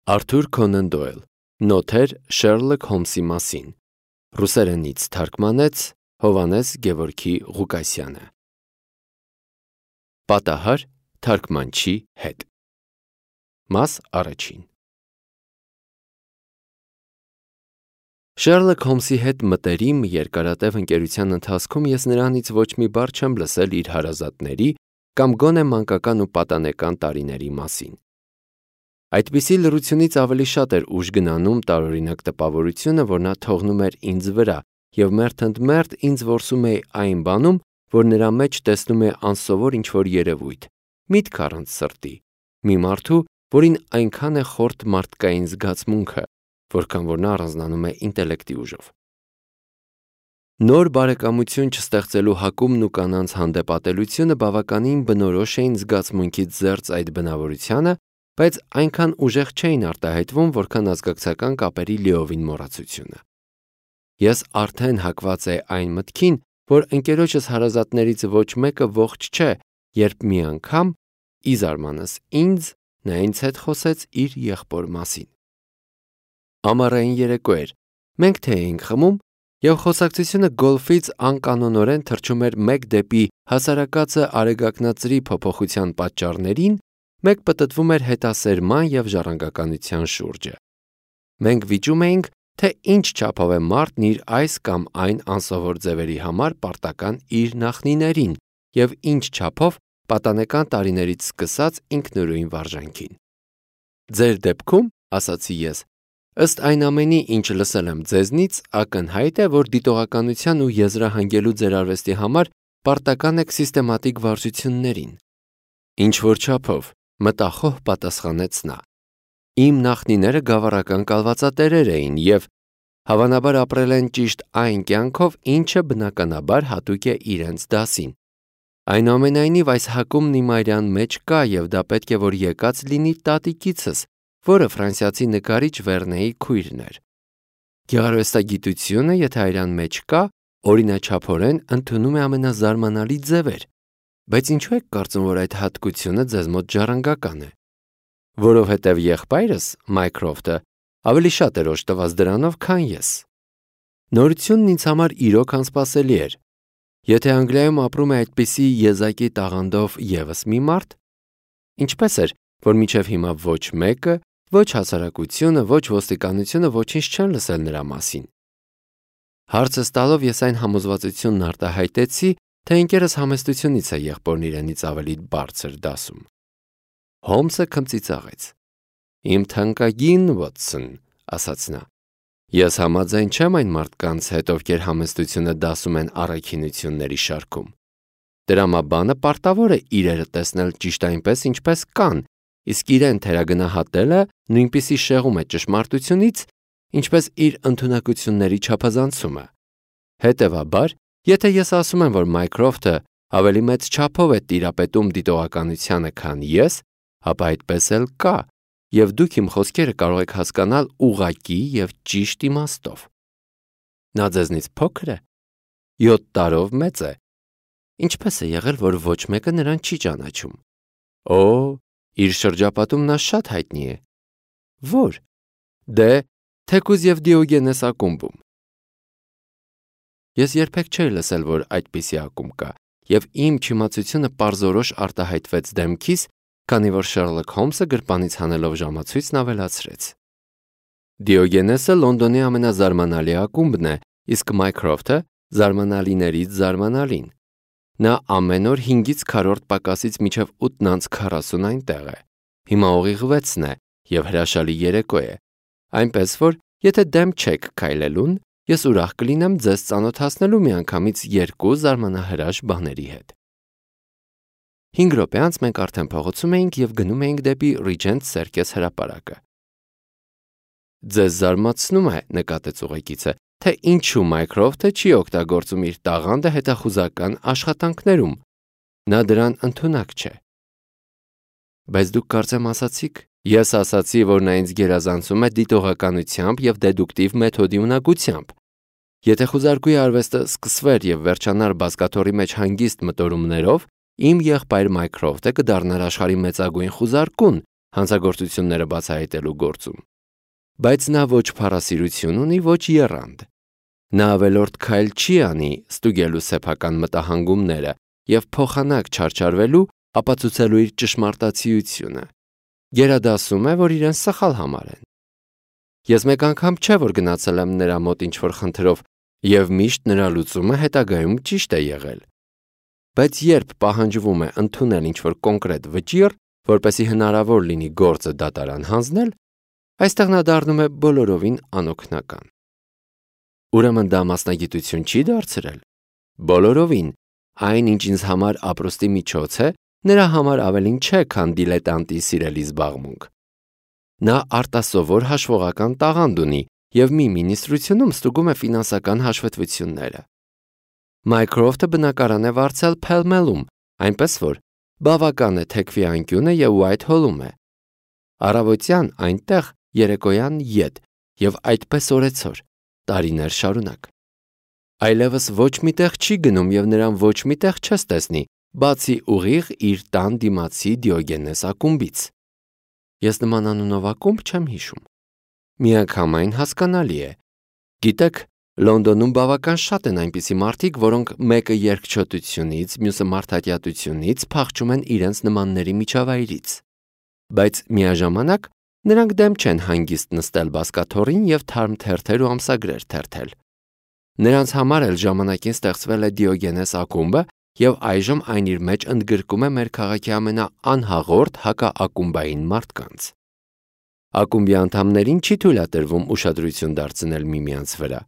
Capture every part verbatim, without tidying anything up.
Արթուր Քոնան Դոյլ, Նոթեր Շերլոք Հոլմսի մասին, ռուսերենից թարգմանեց Հովհաննես Գևորգի Ղուկասյանը։ Պատահար թարգմանչի հետ։ Մաս առաջին։ Շերլոք Հոլմսի հետ մտերիմ երկարատև ընկերության ընթացքում ես նրանից ոչ մի բառ չեմ լսել իր հարազատների կամ գոնե մանկական ու պատանեկան տարիների մասին։ Այդպիսի լռությունից ավելի շատ էր ուժ գնանում տարօրինակ տպավորությունը, որ նա թողնում էր ինձ վրա և մերթ ընդ մերթ ինձ որսում էի այն բանում, որ նրա մեջ տեսնում է անսովոր ինչ-որ երևույթ, միտք առանց սրտի, մի մարդու, որին այնքան է խորթ մարդկային զգացմունքը, որքան որ նա առանձնանում է ինտելեկտի ուժով։ Նոր բարեկամություն չստեղծելու հակումն ու կանանց հանդեպ ատելությունը բավականին բնորոշ էին զգացմունքից զերծ այդ բնավորությանը, բայց այնքան ուժեղ չէին արտահայտվում, որքան ազգակցական կապերի լիովին մոռացությունը։ Ես արդեն հակված էի այն մտքին, որ ընկերոջս հարազատներից ոչ մեկը ողջ չէ, երբ մի անգամ, ի զարմանս ինձ, նա ինձ հետ խոսեց իր եղբոր մասին։ Ամառային երեկո էր, մենք թե էինք խմում, և խոսակցությունը գոլֆից անկանոնորեն թռչում էր մեկ դեպի հասարակածը արեգակնածրի փոփոխության պատճառներին, մեկ պտտվում էր հետասերման և ժառանգականության շուրջը։ Մենք վիճում էինք, թե ինչ չափով է մարդն իր այս կամ այն անսովոր ձևերի համար պարտական իր նախնիներին և ինչ չափով պատանեկան տարիներից սկսած ինքնուրույն վարժանքին։ Ձեր դեպքում, ասացի ես, ըստ այն ամենի, ինչ լսել եմ ձեզնից, ակնհայտ է, որ դիտողականության ու եզրահանգելու ձեր արվեստի համար պարտական եք սիստեմատիկ վարժություններին։ Ինչ-որ չափով, մտախոհ պատասխանեց նա։ Իմ նախնիները գավառական կալվածատերեր էին և հավանաբար ապրել են ճիշտ այն կյանքով, ինչը բնականաբար հատուկ է իրենց դասին։ Այնուամենայնիվ այս հակումն իմ արյան մեջ կա և դա պետք է որ եկած լինի տատիկիցս, որը ֆրանսիացի նկարիչ Վերնեի քույրն էր։ Գեղարվեստագիտությունը, եթե արյան մեջ կա, օրինաչափորեն ընդունում է ամենազարմանալի ձևեր, բայց ինչու եք կարծում, որ այդ հատկությունը ձեզ մոտ ժառանգական է։ Որովհետև եղբայրս, Մայքրոֆթը, ավելի շատ էր օժտված դրանով, քան ես։ Նորությունն ինձ համար իրոք անսպասելի էր։ Եթե Անգլիայում ապրում է այդպիսի եզակի տաղանդով ևս մի մարդ, ինչպես էր, որ մինչև հիմա ոչ մեկը, ոչ հասարակությունը, ոչ ոստիկանությունը ոչինչ չեն լսել նրա մասին։ Հարցս տալով ես այն համոզվածությունն արտահայտեցի, թե ընկերս համեստությունից է եղբորն իրենից ավելի բարձր դասում։ Հոլմսը քմծիծաղեց։ Իմ թանկագին Վոթսոն, ասաց նա, ես համաձայն չեմ այն մարդկանց հետ, ովքեր համեստությունը դասում են առաքինությունների շարքում։ Տրամաբանը պարտավոր է իրերը տեսնել ճիշտ այնպես, ինչպես կան, իսկ իրեն թերագնահատելը նույնպիսի շեղում է ճշմարտությունից, ինչպես իր ընդունակությունների չափազանցումը։ Հետևաբար, եթե ես ասում եմ, որ Մայքրոֆթը ավելի մեծ չափով է տիրապետում դիտողականությանը, քան ես, ապա այդպես էլ կա, և դուք իմ խոսքերը կարող եք հասկանալ ուղղակի և ճիշտ իմաստով։ Նա ձեզնից փոքր է, յոթ տարով մեծ է։ Ինչպես է եղել, որ ոչ մեկը նրան չի ճանաչում։ Օ, իր շրջապատում նա շատ հայտնի է։ Ո՞ր։ Դե, թեկուզ և Դիոգենես ակումբում։ Ես երբեք չէի լսել, որ այդպիսի ակումբ կա, և իմ չիմացությունը պարզորոշ արտահայտվեց դեմքիս, քանի որ Շերլոք Հոլմսը գրպանից հանելով ժամացույցն ավելացրեց։ Դիոգենեսը Լոնդոնի ամենազարմանալի ակումբն է, իսկ Մայքրոֆթը զարմանալիներից զարմանալին։ Նա ամեն օր հինգից քառորդ պակասից մինչև ութն անց քառասուն այնտեղ է։ Հիմա ուղիղ վեցն է և հրաշալի երեկո է, այնպես որ, եթե դեմ չեք քայլելուն, ես ուրախ կլինեմ ձեզ ծանոթացնելու միանգամից երկու զարմանահրաշ բաների հետ։ Հինգ րոպե անց մենք արդեն փողոցում էինք և գնում էինք դեպի Ռիջենտ Սերկես հրապարակը։ Ձեզ զարմացնում է, նկատեց ուղեկիցը, թե ինչու Մայքրոֆթը չի օգտագործում իր տաղանդը հետախուզական աշխատանքներում։ Նա դրան ընդունակ չէ։ Բայց դուք կարծեմ ասացիք, ես ասացի, որ նա ինձ գերազանցում է դիտողականությամբ և դեդուկտիվ մեթոդի ունակությամբ։ Եթե խուզարկուի արվեստը սկսվեր և վերջանար բազկաթոռի մեջ հանգիստ մտորումներով, իմ եղբայր Մայքրոֆթը կդառնար աշխարհի մեծագույն խուզարկուն հանցագործությունները բացահայտելու գործում։ Բայց նա ոչ փառասիրություն ունի, ոչ եռանդ։ Նա ավելորդ քայլ չի անի ստուգելու սեփական մտահանգումները և փոխանակ չարչարվելու ապացուցելու իր ճշմարտացիությունը։ Գերադասում է, որ իրեն սխալ համարեն։ Ես մեկ անգամ չէ, որ գնացել եմ նրա մոտ ինչ-որ խնդրով և միշտ նրա լուծումը հետագայում ճիշտ է եղել։ Բայց երբ պահանջվում է ընդունել ինչ-որ կոնկրետ վճիռ, որպեսզի հնարավոր լինի գործը դատարան հանձնել, այստեղ նա դառնում է բոլորովին անօգնական։ Ուրեմն դա մասնագիտություն չի դարձրել։ Բոլորովին, այն, ինչ ինձ համար ապրուստի միջոց է, նրա համար ավելին չէ, քան դիլետանտի սիրելի զբաղմունք։ Նա արտասովոր հաշվողական տաղանդ ունի և մի մինիստրությունում ստուգում է ֆինանսական հաշվետվությունները։ Մայքրոֆթը բնակարան է վարձել Փել-Մելում, այնպես որ բավական է թեքվի անկյունը և Ուայթհոլում է։ Առավոտյան այնտեղ, երեկոյան ետ և այդպես օրեցօր, տարիներ շարունակ։ Այլևս ոչ մի տեղ չի գնում և նրան ոչ մի տեղ չես տեսնի, բացի ուղիղ իր տան դիմացի Դիոգենես ակումբից։ Ես նման անունով ակումբ չեմ հիշում։ Միանգամայն հասկանալի է։ Գիտեք, Լոնդոնում բավական շատ են այնպիսի մարդիկ, որոնք մեկը երկչոտությունից, մյուսը մարդատյատությունից փախչում են իրենց նմանների միջավայրից։ Բայց միաժամանակ նրանք դեմ չեն հանգիստ նստել բազկաթոռին և թարմ թերթեր ու ամսագրեր թերթել։ Նրանց համար էլ ժամանակին ստեղծվել է Դիոգենես ակումբը և այժմ այն իր մեջ ընդգրկում է մեր քաղաքի ամենաանհաղորդ հակաակումբային մարդկանց։ Ակումբի անդամներին չի թույլատրվում ուշադրություն դարձնել միմյանց վրա։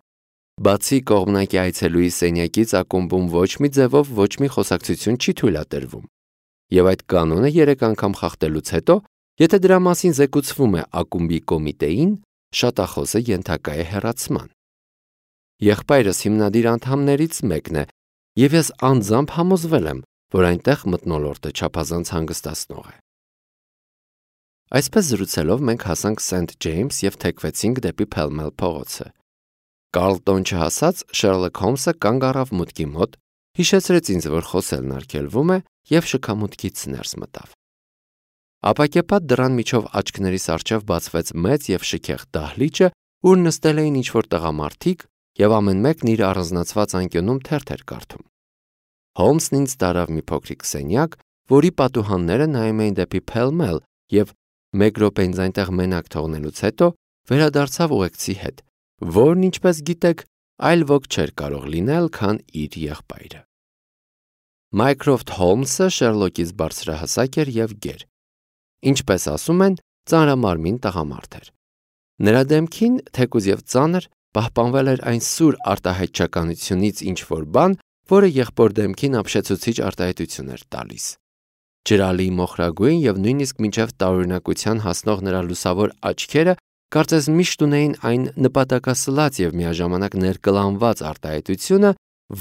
Բացի կողմնակի այցելուի սենյակից ակումբում ոչ մի ձևով ոչ մի խոսակցություն չի թույլատրվում։ Եվ այդ կանոնը երեք անգամ խախտելուց հետո, եթե դրա մասին զեկուցվում է ակումբի կոմիտեին, շատախոսը ենթակա է հեռացման։ Եղբայրս հիմնադիր անդամներից մեկն է, և ես անձամբ համոզվել եմ, որ այնտեղ մթնոլորտը չափազանց հանգստացնող է։ Այսպես զրուցելով մենք հասանք Սենթ Ջեյմս և թեքվեցինք դեպի Փել-Մել փողոցը։ Կարլտոն չհասած Շերլոք Հոլմսը կանգ առավ մուտքի մոտ, հիշեցրեց ինձ, որ խոսելն արգելվում է և շքամուտքից ներս մտավ։ Ապակեպատ դռան միջով աչքներիս առջև բացվեց մեծ և շքեղ դահլիճը, ուր նստել էին ինչ-որ տղամարդիկ և ամեն մեկն իր առանձնացված անկյունում թերթ էր կարդում։ Հոլմսն ինձ տարավ մի փոքրիկ սենյակ, որի պատուհանները նայում էին դեպի Փել-Մել և մեկ րոպե ինձ այնտեղ մենակ թողնելուց հետո վերադարձավ ուղեկցի հետ, որն, ինչպես գիտեք, այլ ոք չէր կարող լինել, քան իր եղբայրը։ Մայքրոֆթ Հոլմսը Շերլոկից բարձրահասակ էր և գեր։ Ինչպես ասում են, ծանրամարմին տղամարդ էր։ Նրա դեմքին, թեկուզ և ծանր, պահպանվել էր այն սուր արտահայտչականությունից ինչ-որ բան, որը եղբոր դեմքին ապշեցուցիչ արտահայտություն էր տալիս։ Ջրալի մոխրագույն և նույնիսկ մինչև տարօրինակության հասնող նրա լուսավոր աչքերը կարծես միշտ ունեին այն նպատակասլաց և միաժամանակ ներկլանված արտահայտությունը,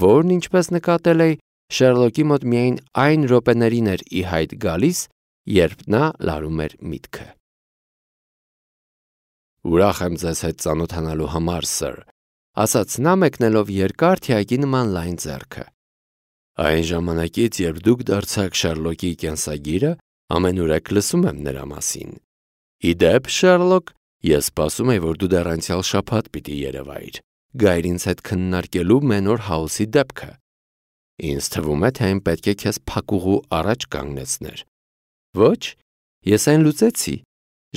որն, ինչպես նկատել էի, Շերլոկի մոտ միայն այն րոպեներին էր ի հայտ գալիս, երբ նա լարում էր միտքը։ Ուրախ եմ ձեզ հետ ծանոթանալու համար, սըր, ասաց նա մեկնելով երկար թիակի նման լայն ձեռքը։ Այն ժամանակից, երբ դուք դարձաք Շերլոկի կենսագիրը, ամենուրեք լսում եմ նրա մասին։ Ի դեպ, Շերլոկ, ես սպասում եի, որ դու դեռ անցյալ շաբաթ պիտի երևայիր, գայր ինձ հետ քննարկելու Մենոր Հաուսի դեպքը։ Ինձ թվում է, թե այն պետք է քեզ փակուղու առաջ կանգնեցներ։ Ոչ, ես այն լուծեցի,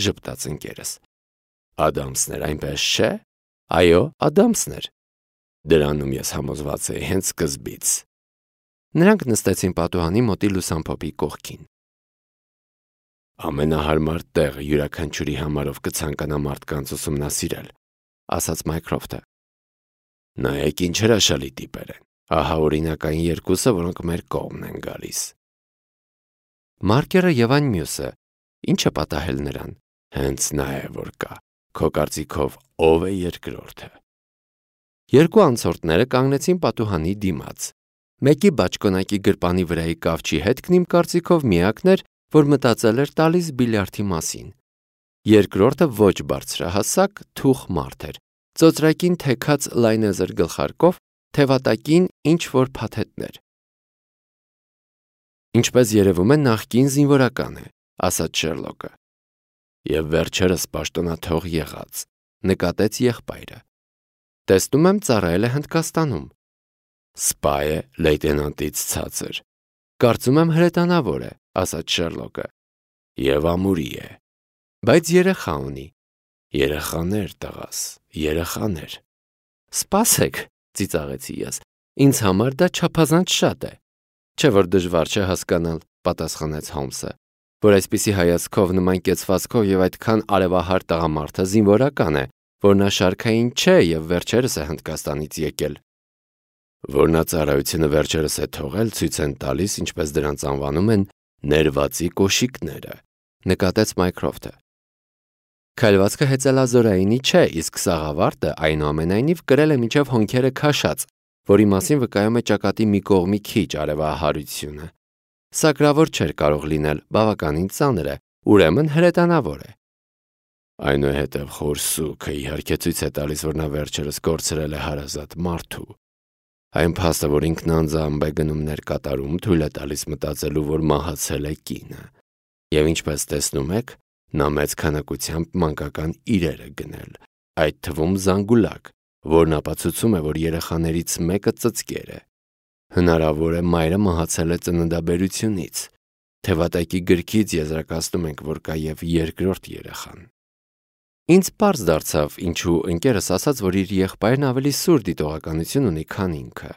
ժպտաց ընկերս։ Ադամսն էր, այնպես չէ։ Այո, Ադամսն էր։ Դրանում ես համոզված էի հենց սկզբից։ Նրանք նստեցին պատուհանի մոտի լուսամփոփի կողքին։ Ամենահարմար տեղը յուրաքանչյուրի համարով կցանկանա մարդկանց ուսումնասիրել, ասաց Մայքրոֆթը։ Նայեք ինչ հրաշալի տիպեր են։ Ահա օրինակային երկուսը, որոնք մեր կողմն են գալիս։ Մարկերը և այն մյուսը, ի՞նչ է պատահել նրան։ Հենց նա է, որ կա։ Քո կարծիքով ո՞վ է երկրորդը։ Երկու անցորդները կանգնեցին պատուհանի դիմաց։ Մեկի բաճկոնակի գրպանի վրայի կավճի հետքն իմ կարծիքով միակն էր, որ մտածել էր տալիս բիլիարդի մասին։ Երկրորդը ոչ բարձրահասակ, թուխ մարդ էր, ծոծրակին թեքած լայնեզր գլխարկով, թևատակին ինչ-որ փաթեթներ։ Ինչպես երևում է, նախկին զինվորական է, ասաց Շերլոկը։ Եվ վերջերս պաշտոնաթող եղած, նկատեց եղբայրը։ Տեսնում եմ ծառայել է Հնդկաստանում։ Սպա է լեյտենանտից ցածր։ Կարծում եմ հրետանավոր է, ասաց Շերլոկը։ Եվ ամուրի է։ Բայց երեխա ունի։ Երեխաներ, տղաս, երեխաներ։ Սպասեք, ծիծաղեցի ես, ինձ համար դա չափազանց շատ է։ Չէ՞ որ դժվար չէ հասկանալ, պատասխանեց Հոլմսը, որ այսպիսի հայացքով, նման կեցվածքով եւ այդքան արևահար տղամարդը զինվորական է, որ նա շարքային չէ եւ վերջերս է Հնդկաստանից եկել։ Որ նա ծառայությունը վերջերս է թողել, ցույց են տալիս, ինչպես դրանց անվանում են, ներվածի կոշիկները, նկատեց Մայքրոֆթը։ Քայլվածքը հեծելազորայինի չէ, իսկ սաղավարտը այնուամենայնիվ կրել է մինչև հոնքերը քաշած, որի մասին վկայում է ճակատի մի կողմի քիչ արևահարությունը։ Սակրավոր չէր կարող լինել, բավականին ծանր է, ուրեմն հրետանավոր է։ Այնուհետև խորսուքը իհարկե ցույց է տալիս, որ նա վերջերս կորցրել է հարազատ մարդու։ Այն փաստը, որ ինքն անձամբ է գնումներ կատարում, թույլ է տալիս մտածելու, որ մահացել է կինը։ Եվ ինչպես տեսնում եք, նա մեծ քանակությամբ մանկական իրեր է գնել, այդ թվում զանգուլակ, որն ապացուցում է, որ երեխաներից մեկը ծծկեր է։ Հնարավոր է մայրը մահացել է ծննդաբերությունից։ Թևատայքի գրքից եզրակացնում ենք, որ կա և երկրորդ երեխան։ Ինձ պարզ դարձավ, ինչու ընկերս ասաց, որ իր եղբայրն ավելի սուր դիտողականություն ունի, քան ինքը։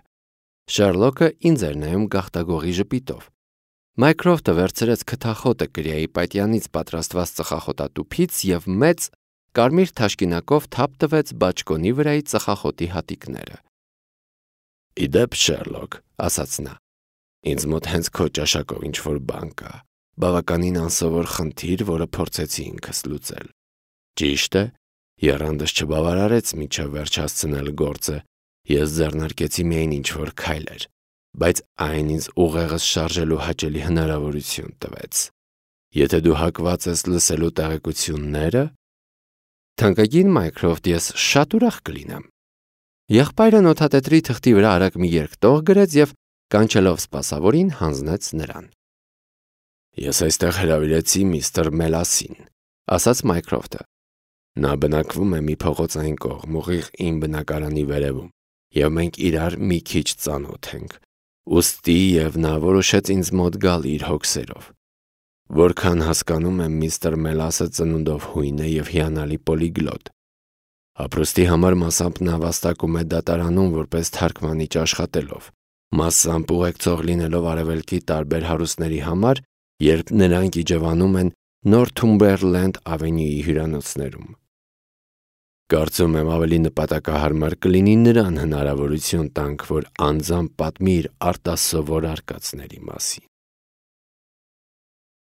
Շերլոկը ինձ էր նայում գաղտագողի ժպիտով։ Մայքրոֆթը վերցրեց քթախոտը կրիայի պատյանից պատրաստված ծխախոտատուփից և մեծ կարմիր թաշկինակով թափ տվեց բաճկոնի վրայի ծխախոտի հատիկները։ Իդեպ, Շերլոկ, ասաց նա, ինձ մոտ հենց քո ճաշակով ինչ-որ բան կա, բավականին անսովոր խնդիր, որը փորձեցի ինքս լուծել։ Ճիշտ է, եռանդս չբավարարեց մինչև վերջ հասցնել գործը, ես ձեռնարկեցի միայն ինչ-որ քայլեր, բայց այն ինձ ուղեղս շարժելու հաճելի հնարավորություն տվեց։ Եթե դու հակված ես լսելու տեղեկությունները, թանկագին Մայքրոֆթ, ես շատ ուրախ կլինեմ։ Եղբայրը նոթատետրի թղթի վրա արագ մի երկտող գրեց և կանչելով սպասավորին հանձնեց նրան։ Ես այստեղ հրավիրեցի միստր Մելասին, ասաց Մայքրոֆթը։ Նա բնակվում է մի փողոցային կողմ, ուղիղ իմ բնակարանի վերևում, և մենք իրար մի քիչ ծանոթ ենք։ Ուստի և նա որոշեց ինձ մոտ գալ իր հոգսերով։ Որքան հասկանում եմ, միստր Մելասը ծնունդով հույն է և հիանալի պոլիգլոտ։ Ապրուստի համար մասամբ նա վաստակում է դատարանում որպես թարգմանիչ աշխատելով, մասամբ ուղեկցող լինելով արևելքի տարբեր հարուստների համար, երբ նրանք իջևանում են Նորթումբերլենդ ավենյուի հյուրանոցներում։ Կարծում եմ ավելի նպատակահարմար կլինի նրան հնարավորություն տանք, որ անձամբ պատմի իր արտասովոր արկածների մասին։